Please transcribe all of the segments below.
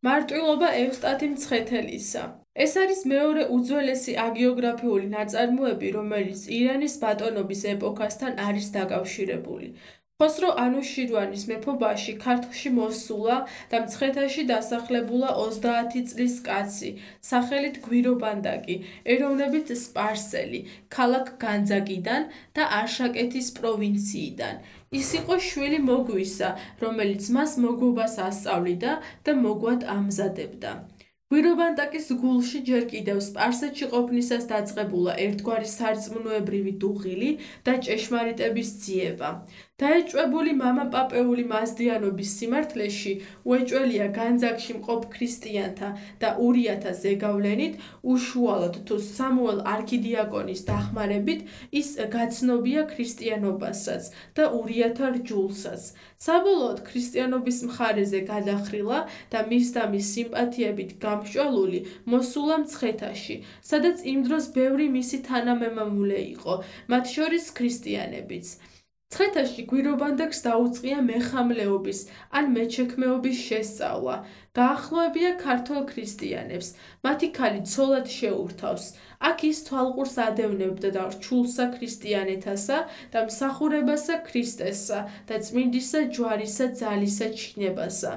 მარტვილობა ევსტათი მცხეთელისა. ეს არის მეორე უძველესი აგიოგრაფიული ნაწარმოები, რომელიც ირანის ბატონობის ეპოქასთან არის დაკავშირებული. ხოსრო ანუშირვანის მეფობაში ქართლში მოსულა და მცხეთაში დასახლებულა 30 წლის კაცი, სახელით გვირობანდაკი, ეროვნებით სპარსელი, ქალაქ განძაკიდან და არშაკეთის პროვინციიდან. ის იყო შვილი მოგვისა, რომელიც მას მოგვობას ასწავლიდა და მოგვად ამზადებდა. გვირობანდაკის გულში ჯერ კიდევ სპარსეთში ყოფნისას დაწყებულა ერთგვარი სარწმუნოებრივი დუღილი და ჭეშმარიტების ძიება. დაეჭვებული მამა პაპეული მაზდიანობის სიმართლეში, უეჭველია განძაკში მყოფ ქრისტიანთა და ურიათა ზეგავლენით, უშუალოდ თუ სამუელ არქიდიაკონის დახმარებით ის გაცნობია ქრისტიანობასაც და ურიათა რჯულსაც. საბოლოოდ ქრისტიანობის მხარეზე გადახრილა და მის და მის სიმპათიებით გამსჭვალული მოსულა მცხეთაში, სადაც იმ დროს ბევრი მისი თანამემამულე იყო, მათ შორის ქრისტიანებიც. მცხეთაში გვირობანდაკს დაუწყია მეხამლეობის ან მეჩექმეობის შესწავლა. დაახლოებია ქართველ ქრისტიანებს, მათი ქალი ცოლად შეურთავს. აქ ის თვალყურს ადევნებდა და რჩულსა ქრისტიანეთასა და მსახურებასა ქრისტესსა და წმინდისა ჯვარისა ძალისა ჩინებასა.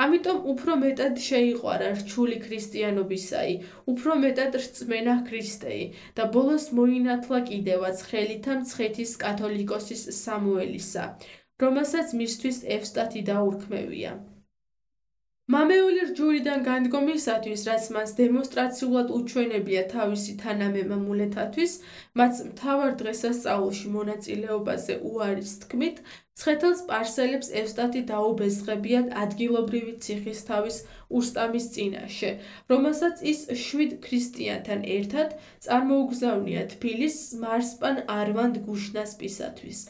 ამიტომ უფრო მეტად შეიყვარა რჩული ქრისტიანობისაი, უფრო მეტად რწმენა ქრისტეი და ბოლოს მოინათლა კიდევაც ხელითა მცხეთის კათოლიკოსის სამუელისა, რომელსაც მისთვის ევსტათი დაურქმევია. მამეული რჯულიდან განდგომისათვის, რაც მას დემონსტრაციულად უჩვენებია თავისი თანამემამულეთათვის, მათ მთავარ დღესასწაულში მონაწილეობაზე უარის თქმით, მცხეთელ სპარსელებს ევსტათი დაუბეზღებიათ ადგილობრივი ციხისთავის უსტამის წინაშე, რომელსაც ის 7 ქრისტიანთან ერთად წარმოუგზავნია თბილისს მარსპან არვანდ გუშნასპისათვის.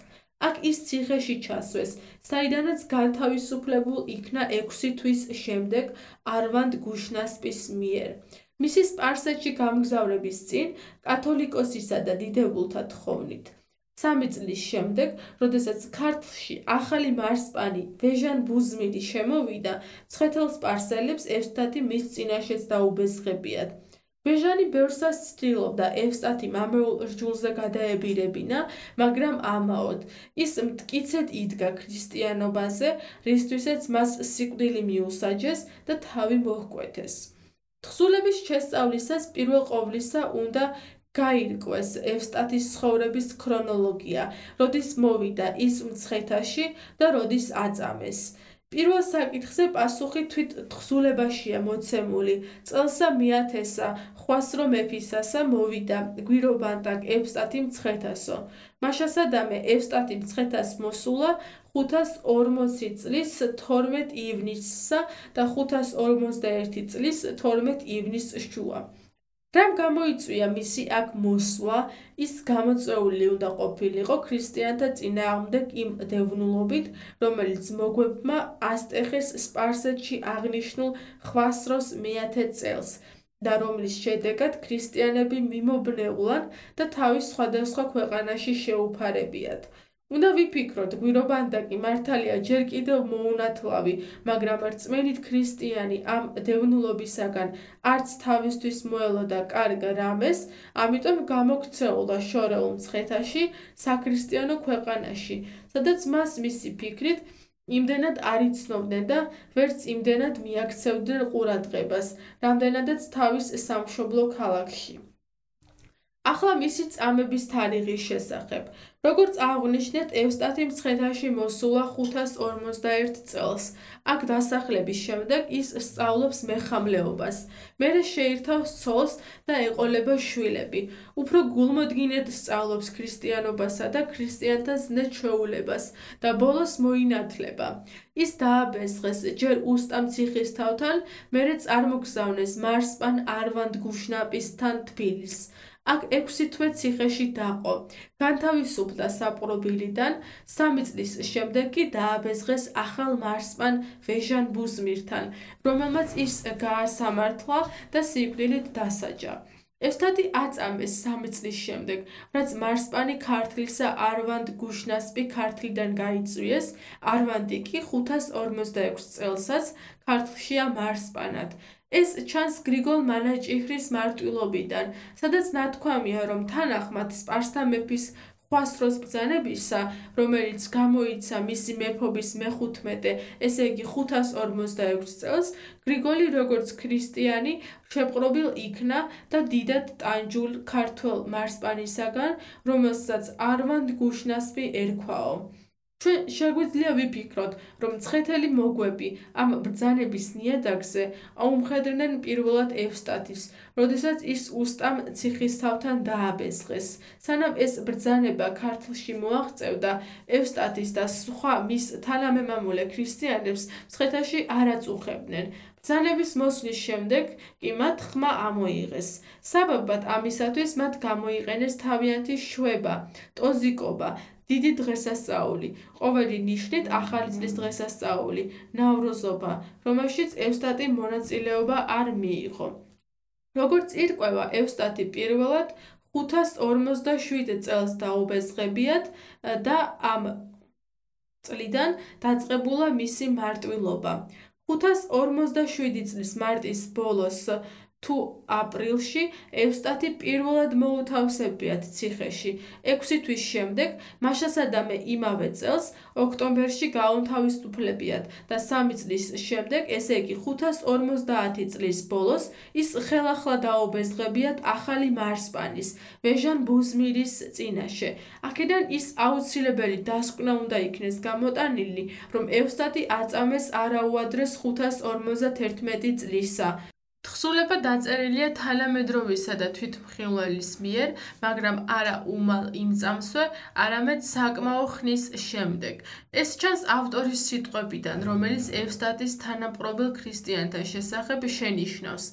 აქ ის ციხეში ჩასვეს, საიდანაც განთავისუფლებულ იქნა 6 თვის შემდეგ არვანდ გუშნასპის მიერ. მისი სპარსეთში გამგზავრების წინ კათოლიკოსისა და დიდებულთა თხოვნით. 3 წლის შემდეგ, როდესაც ქართლში ახალი მარსპანი ვეჟან ბუზმირი შემოვიდა, მცხეთელ სპარსელებს ევსტათი მის წინაშეც დაუბეზღებიათ. ვეჟანი ბევრსას ცდილობდა ევსტათი მამეულ რჯულზე გადაებირებინა, მაგრამ ამაოდ ის მტკიცედ იდგა ქრისტიანობაზე, რისთვისაც მას სიკვდილი მიუსაჯეს და თავი მოჰკვეთეს. თხზულების შესწავლისას პირველ ყოვლისა უნდა გაირკვეს ევსტათის ცხოვრების ქრონოლოგია, როდის მოვიდა ის მცხეთაში და როდის აწამეს. პირველ საკითხზე პასუხი თვით თხზულებაშია მოცემული. წელსა მეათესა ხვასრო მეფისასა მოვიდა გვირობანდაკ ევსტათი მცხეთასო. მაშასადამე ევსტათი მცხეთას მოსულა 540 წლის 12 ივნისსა და 541 წლის 12 ივნისს შუა. რამ გამოიწვია მისი აქ მოსვლა, ის გამოწვეული უნდა ყოფილიყო ქრისტიანთა წინააღმდეგ იმ დევნულობით, რომელიც მოგვებმა ასტეხეს სპარსეთში აღნიშნულ ხვასროს მეათე წელს და რომლის შედეგად ქრისტიანები მიმობნეულან და თავის სხვადასხვა ქვეყანაში შეუფარებიათ. უნდა ვიფიქროთ, გვირობანდაკი მართალია ჯერ კიდევ მოუნათლავი, მაგრამ რწმენით ქრისტიანი ამ დევნულობისაგან არც თავისთვის მოელოდა კარგ რამეს, ამიტომ გამოქცეულა შორეულ მცხეთაში, საქრისტიანო ქვეყანაში, სადაც მას მისი ფიქრით იმდენად არ იცნობდნენ და ვერც იმდენად მიაქცევდნენ ყურადღებას, რამდენადაც თავის სამშობლო ქალაქში. ახლა მისი წამების თარიღის შესახებ. როგორც აღვნიშნეთ, ევსტათი მცხეთაში მოსულა 541 წელს. აქ დასახლების შემდეგ ის სწავლობს მეხამლეობას. მერე შეირთავს ცოლს და ეყოლება შვილები. უფრო გულმოდგინედ სწავლობს ქრისტიანობასა და ქრისტიანთა ზნე ჩვეულებას და ბოლოს მოინათლება. ის დააბეზღეს ჯერ უსტამ ციხისთავთან, მერე წარმოგზავნეს მარსპან არვანდ გუშნაპისთან თბილისს. აქ 6 თვე ციხეში დაყო. განთავისუფლდა საპყრობილიდან, 3 წლის შემდეგ კი დააბეზღეს ახალ მარსპან ვეჟან ბუზმირთან, რომელმაც ის გაასამართლა და სიკვდილით დასაჯა. ევსტათი აწამეს 3 წლის შემდეგ, რაც მარსპანი ქართლისა არვანდ გუშნასპი ქართლიდან გაიწვიეს, არვანდი კი 546 წელსაც ქართლშია მარსპანად. ეს ჩანს გრიგოლ მანაჭიჰრის მარტვილობიდან, სადაც ნათქვამია, რომ თანახმად სპარსთა მეფის ხვასროს ბრძანებისა, რომელიც გამოიცა მისი მეფობის მე-15, ესე იგი 546 წელს, გრიგოლი როგორც ქრისტიანი შეპყრობილ იქნა და დიდად ტანჯულ ქართველ მარსპანისაგან, რომელსაც არვანდ გუშნასპი ერქვაო. ჩვენ შეგვიძლია ვიფიქროთ, რომ მცხეთელი მოგვები ამ ბრძანების ნიადაგზე აუმხედრნენ პირველად ევსტათის, როდესაც ის უსტამ ციხისთავთან დააბეზღეს. სანამ ეს ბრძანება ქართლში მოაღწევდა, ევსტათის და სხვა მის თანამემამულე ქრისტიანებს მცხეთაში არ აწუხებდნენ. ბრძანების მოსვლის შემდეგ კი მათ ხმა ამოიღეს. საბაბად ამისათვის მათ გამოიყენეს თავიანთი შვება, ტოზიკობა, დიდი დღესასწაული, ყოველი ნიშნით ახალი წლის დღესასწაული, ნავროზობა, რომელშიც ევსტატი მონაწილეობა არ მიიღო. როგორც ირკვევა, ევსტათი პირველად 557 წელს დაუბეზღებიათ და ამ წლიდან დაწყებულა მისი მარტვილობა. 557 წლის მარტის ბოლოს თუ აპრილში ევსტათი პირველად მოუთავსებიათ ციხეში. 6 თვის შემდეგ, მაშასადამე იმავე წელს, ოქტომბერში გაუნთავისუფლებიათ და 3 წლის შემდეგ, ესე იგი 550 წლის ბოლოს, ის ხელახლა დაუბეზღებიათ ახალი მარსპანის, ვეჟან ბუზმირის წინაშე. აქედან ის აუცილებელი დასკვნა უნდა იქნეს გამოტანილი, რომ ევსტათი აწამეს არაუადრეს 551 წლისა. თხზულება დაწერილია თანამედროვისა და თვითმხილველის მიერ, მაგრამ არა უმალ იმ წამსვე, არამედ საკმაო ხნის შემდეგ. ეს ჩანს ავტორის სიტყვებიდან, რომელიც ევსტათის თანაპყრობილ ქრისტიანთა შესახებ შენიშნავს.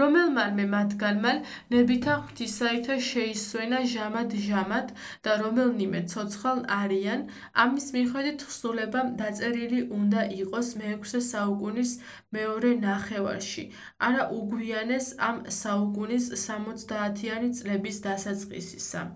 რომელმანმე მათგანმა ნებითა ღვთისაითა შეისვენა ჟამად და რომელნიმე ცოცხალ არიან, ამის მიხედვით თხზულება დაწერილი უნდა იყოს მე-6 საუკუნის მეორე ნახევარში, არა უგვიანეს ამ საუკუნის 70-იანი წლების დასაწყისისა.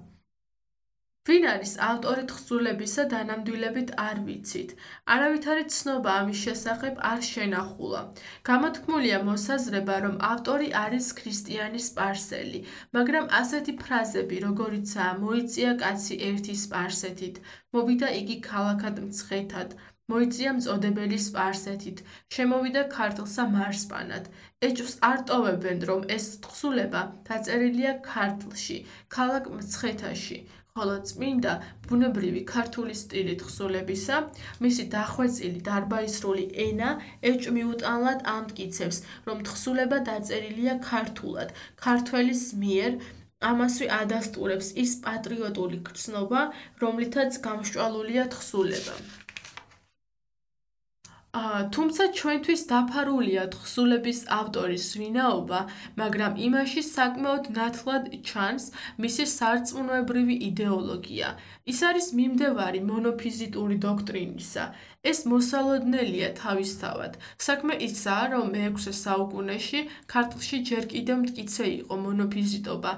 ვინ არის ავტორი თხზულებისა დანამდვილებით არ ვიცით. არავითარი ცნობა ამის შესახებ არ შენახულა. გამოთქმულია მოსაზრება, რომ ავტორი არის ქრისტიანი სპარსელი, მაგრამ ასეთი ფრაზები, როგორიცაა მოიწია კაცი ერთი სპარსეთით, მოვიდა იგი ქალაქად მცხეთად, მოიწია მწოდებელი სპარსეთით, შემოვიდა ქართლსა მარსპანად. ეჭვს არ ტოვებენ, რომ ეს თხზულება დაწერილია ქართლში, ქალაქ მცხეთაში. ხოლო წმინდა ბუნებრივი ქართული სტილი თხზულებისა, მისი დახვეწილი დარბაისრული ენა ეჭვმიუტანლად ამტკიცებს, რომ თხზულება დაწერილია ქართულად, ქართველის მიერ, ამასვე ადასტურებს ის პატრიოტული გრძნობა, რომლითაც გამსჭვალულია თხზულება. თუმცა ჩვენთვის დაფარულია თხზულების ავტორის ვინაობა, მაგრამ იმაში საკმაოდ ნათლად ჩანს მისი სარწმუნოებრივი იდეოლოგია. ის არის მიმდევარი მონოფიზიტური დოქტრინისა. ეს მოსალოდნელია თავისთავად. საქმე ისაა, რომ მე-6 საუკუნეში ქართლში ჯერ კიდევ მტკიცე იყო მონოფიზიტობა.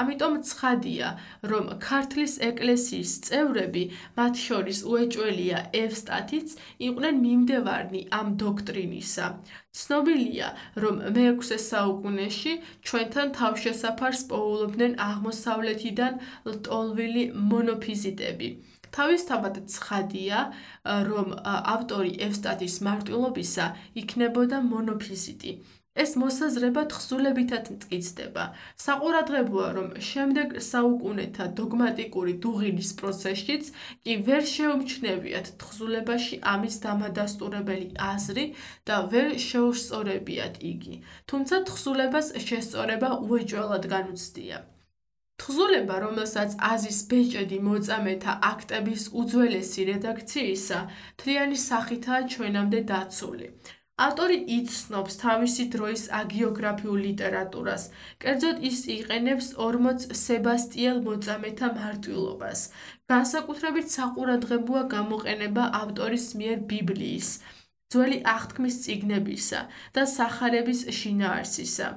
ამიტომ ცხადია, რომ ქართლის ეკლესიის წევრები, მათ შორის უეჭველია ევსტათიც, იყვნენ მიმდევარნი ამ დოქტრინისა. ცნობილია, რომ მე-6 საუკუნეში ჩვენთან თავშესაფარს პოულობდნენ აღმოსავლეთიდან ლტოლვილი მონოფიზიტები. თავისთავად ცხადია, რომ ავტორი ევსტათის მარტვილობისა იქნებოდა მონოფიზიტი. ეს მოსაზრება თხზულებითაც მტკიცდება. საყურადღებოა, რომ შემდეგ საუკუნეთა დოგმატიკური დუღილის პროცესშიც კი ვერ შეუმჩნევიათ თხზულებაში ამის დამადასტურებელი აზრი და ვერ შეუსწორებიათ იგი, თუმცა თხზულებას შესწორება უეჭველად განუცდია. თხზულება, რომელსაც აზის ბეჭედი მოწამეთა აქტების უძველესი რედაქციისა, მთლიანი სახითაა ჩვენამდე დაცული. ავტორი იცნობს თავისი დროის აგიოგრაფიულ ლიტერატურას, კერძოდ ის იყენებს 40 სებასტიელ მოწამეთა მარტვილობას. განსაკუთრებით საყურადღებოა გამოყენება ავტორის მიერ ბიბლიის, ძველი აღთქმის წიგნებისა და სახარების შინაარსისა.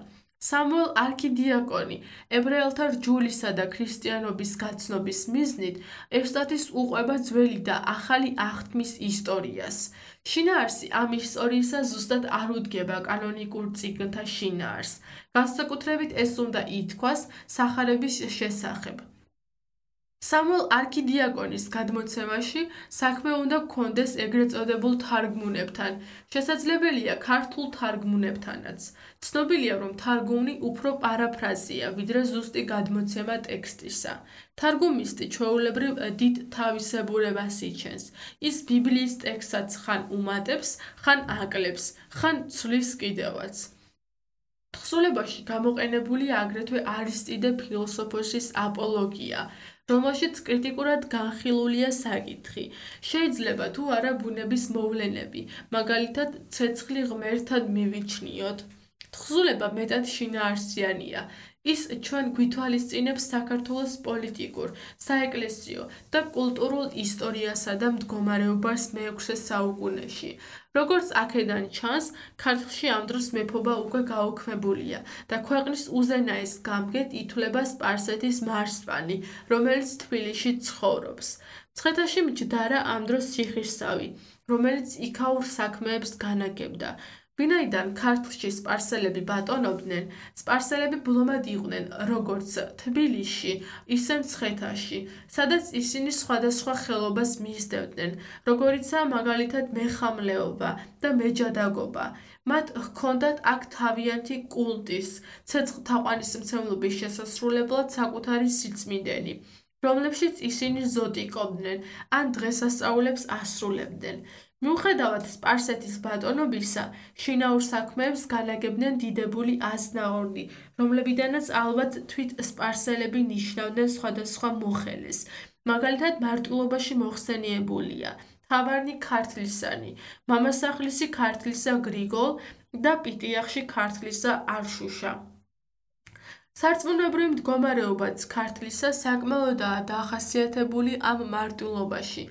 სამუელ არქიდიაკონი ებრაელთა რჯულისა და ქრისტიანობის გაცნობის მიზნით ევსტათის უყვება ძველი და ახალი აღთმის ისტორიას. შინაარსი ამ ისტორიისა ზუსტად არ უდგება კანონიკურ წიგნთა შინაარსს. განსაკუთრებით ეს უნდა ითქვას სახარების შესახებ. სამუელ არქიდიაკონის გადმოცემაში საქმე უნდა ჰქონდეს ეგრეთ წოდებულ თარგმუნებთან, შესაძლებელია ქართულ თარგმუნებთანაც. ცნობილია, რომ თარგმანი უფრო პარაფრაზია, ვიდრე ზუსტი გადმოცემა ტექსტისა. თარგმნისტი ჩვეულებრივ დიდ თავისებურებას იჩენს. ის ბიბლიის ტექსტსაც ხან უმატებს, ხან აკლებს, ხან ცვლის კიდევაც. თხზულებაში გამოყენებულია აგრეთვე არისტიდე ფილოსოფოსის აპოლოგია, რომელშიც კრიტიკულად განხილულია საკითხი, შეიძლება თუ არა ბუნების მოვლენები, მაგალითად ცეცხლი ღმერთად მივიჩნიოთ. თხზულება მეტად შინაარსიანია. ის ჩვენ გვითვალისწინებს საქართველოს პოლიტიკურ, საეკლესიო და კულტურულ ისტორიასა და მდგომარეობას მე-6 საუკუნეში. როგორც აქედან ჩანს, ქართლში ამ დროს მეფობა უკვე გაუქმებულია და ქვეყნის უზენაეს გამგედ ითვლება სპარსეთის მარსვანი, რომელიც თბილისში ცხოვრობს. მცხეთაში მჯდარა ამ დროს ციხისავი, რომელიც იქაურ საქმეებს განაგებდა. ვინაიდან ქართლში სპარსელები ბატონობდნენ, სპარსელები ბლომად იყვნენ როგორც თბილისში, ისე მცხეთაში, სადაც ისინი სხვადასხვა ხელობას მისდევდნენ, როგორიცაა მაგალითად მეხამლეობა და მეჯადაგობა. მათ ჰქონდათ აქ თავიანთი კულტის, ცეცხლთაყვანისმცემლობის შესასრულებლად საკუთარი სიწმინდენი, რომლებშიც ისინი ზოტიკობდნენ ან დღესასწაულებს ასრულებდნენ. მიუხედავად სპარსეთის ბატონობისა, შინაურ საქმეებს განაგებდნენ დიდებული აზნაურნი, რომლებიდანაც ალბათ თვით სპარსელები ნიშნავდნენ სხვადასხვა მოხელეს. მაგალითად, მარტვილობაში მოხსენიებულია თავარნი ქართლისანი, მამასახლისი ქართლისა გრიგოლ და პიტიახში ქართლისა არშუშა. სარწმუნოებრივი მდგომარეობაც ქართლისა საკმაოდაა დახასიათებული ამ მარტვილობაში.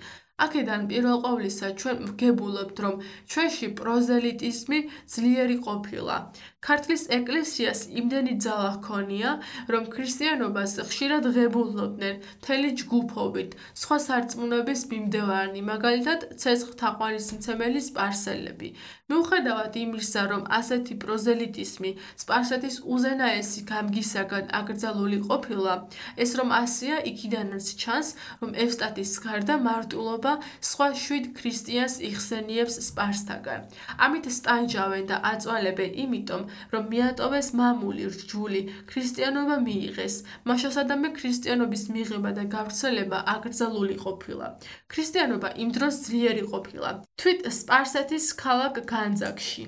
აქედან პირველ ყოვლისა ჩვენ ვგებულობთ, რომ ჩვენში პროზელიტიზმი ძლიერი ყოფილა. ქართლის ეკლესიას იმდენი ძალა ჰქონია, რომ ქრისტიანობას ხშირად ღებულობდნენ მთელი ჯგუფობით, სხვა სარწმუნოების მიმდევარნი, მაგალითად ცეცხლთაყვანისმცემელი სპარსელები. მიუხედავად იმისა, რომ ასეთი პროზელიტიზმი სპარსეთის უზენაესი გამგისაგან აკრძალული ყოფილა, ეს რომ ასეა, იქიდანაც ჩანს, რომ ევსტათის გარდა მარტვილობა სხვა 7 ქრისტიანს იხსენიებს სპარსთაგან. ამით სტანჯავენ და აწვალებენ იმიტომ, რომ მიატოვეს მამული რჯული, ქრისტიანობა მიიღეს, მაშასადამე ქრისტიანობის მიღება და გავრცელება აკრძალული ყოფილა. ქრისტიანობა იმ დროს ძლიერი ყოფილა, თვით სპარსეთის ქალაქ განძაკში.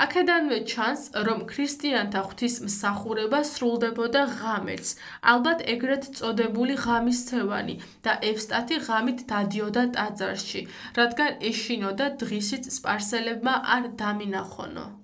აქედანვე ჩანს, რომ ქრისტიანთა ღვთისმსახურება სრულდებოდა ღამერთს, ალბათ ეგრეთ წოდებული ღამისცევანი და ევსტათი ღამით დადიოდა ტაძარში, რადგან ეშინოდა დღისით სპარსელებმა არ დამინახონო.